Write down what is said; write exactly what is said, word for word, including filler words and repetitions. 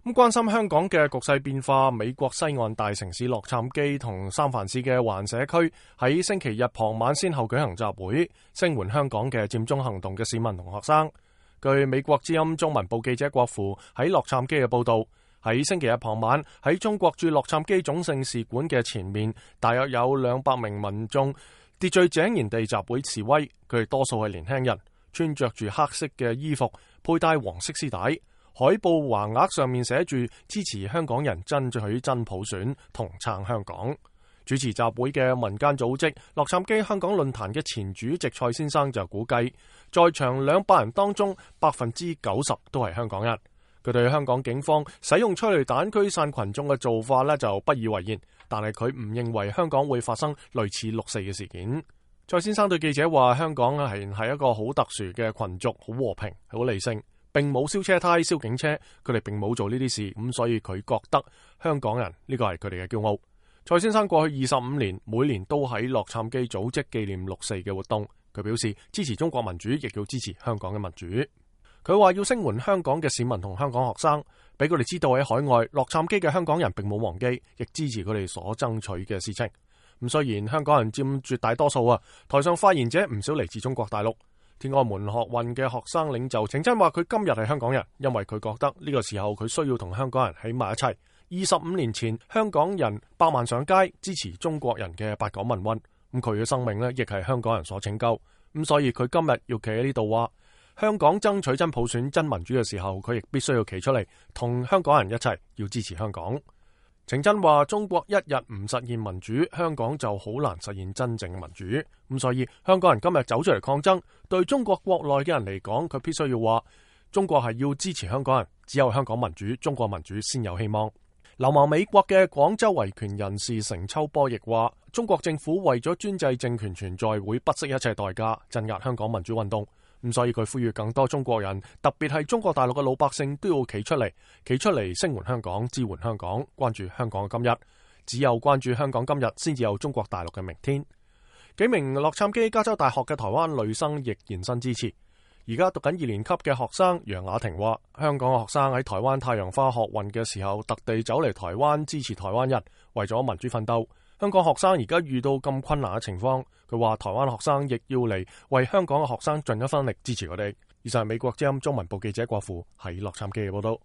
咁關心香港嘅局勢變化，美國西岸大城市洛杉磯同三藩市嘅環社區喺星期日傍晚先後舉行集會，聲援香港嘅佔中行動嘅市民同學生。據美國之音中文部記者郭富喺洛杉磯嘅報道，喺星期日傍晚喺中國駐洛杉磯總領事館嘅前面，大約有兩百名民眾秩序井然地集會示威，佢哋多數係年輕人，穿着住黑色嘅衣服，佩戴黃色絲帶，海報橫額上面寫住支持香港人爭取真普選同撐香港。主持集會嘅民間組織洛杉磯香港論壇嘅前主席蔡先生就估計，在場兩百人當中百分之九十都係香港人。佢對香港警方使用催淚彈驅散群眾嘅做法呢就不以為然，但係佢唔認為香港會發生類似六四嘅事件。蔡先生對記者話：香港係係一個好特殊嘅群族，好和平，好理性，並冇燒車胎、燒警車，佢哋並冇做呢啲事，咁所以佢覺得香港人呢個係佢哋嘅驕傲。蔡先生過去二十五年每年都喺洛杉磯組織紀念六四嘅活動，佢表示支持中國民主，亦要支持香港嘅民主。佢話要聲援香港嘅市民同香港學生，俾佢哋知道喺海外洛杉磯嘅香港人並冇忘記，亦支持佢哋所爭取嘅事情。咁雖然香港人佔絕大多數啊，台上發言者唔少嚟自中國大陸。天安門學運嘅學生領袖程真話佢今日係香港人，因為佢覺得呢個時候佢需要同香港人喺埋一齊。二十五年前，香港人百萬上街支持中國人嘅八九民運，咁佢嘅生命呢亦係香港人所拯救。咁所以佢今日要企喺呢度話，香港爭取真普選、真民主嘅時候，佢亦必須要企出嚟，同香港人一齊要支持香港。程真話：中國一日唔實現民主，香港就好難實現真正嘅民主。咁所以香港人今日走出嚟抗爭，對中國國內嘅人嚟講，佢必須要話，中國係要支持香港人，只有香港民主，中國民主先有希望。流亡美國嘅廣州維權人士程秋波亦話：中國政府為咗專制政權存在，會不惜一切代價鎮壓香港民主運動。咁所以佢呼籲更多中國人，特別係中國大陸嘅老百姓都要企出嚟，企出嚟聲援香港、支援香港、關注香港嘅今日。只有關注香港今日，先至有中國大陸嘅明天。幾名洛杉磯加州大學嘅台灣女生亦現身支持。而家讀緊二年級嘅學生楊雅婷話：香港嘅學生喺台灣太陽花學運嘅時候，特地走嚟台灣支持台灣人，為咗民主奮鬥。香港學生而家遇到咁困難嘅情況，佢話台灣學生亦要嚟為香港嘅學生盡一分力支持佢哋。以上係美國之音中文部記者郭富喺洛杉磯嘅報道。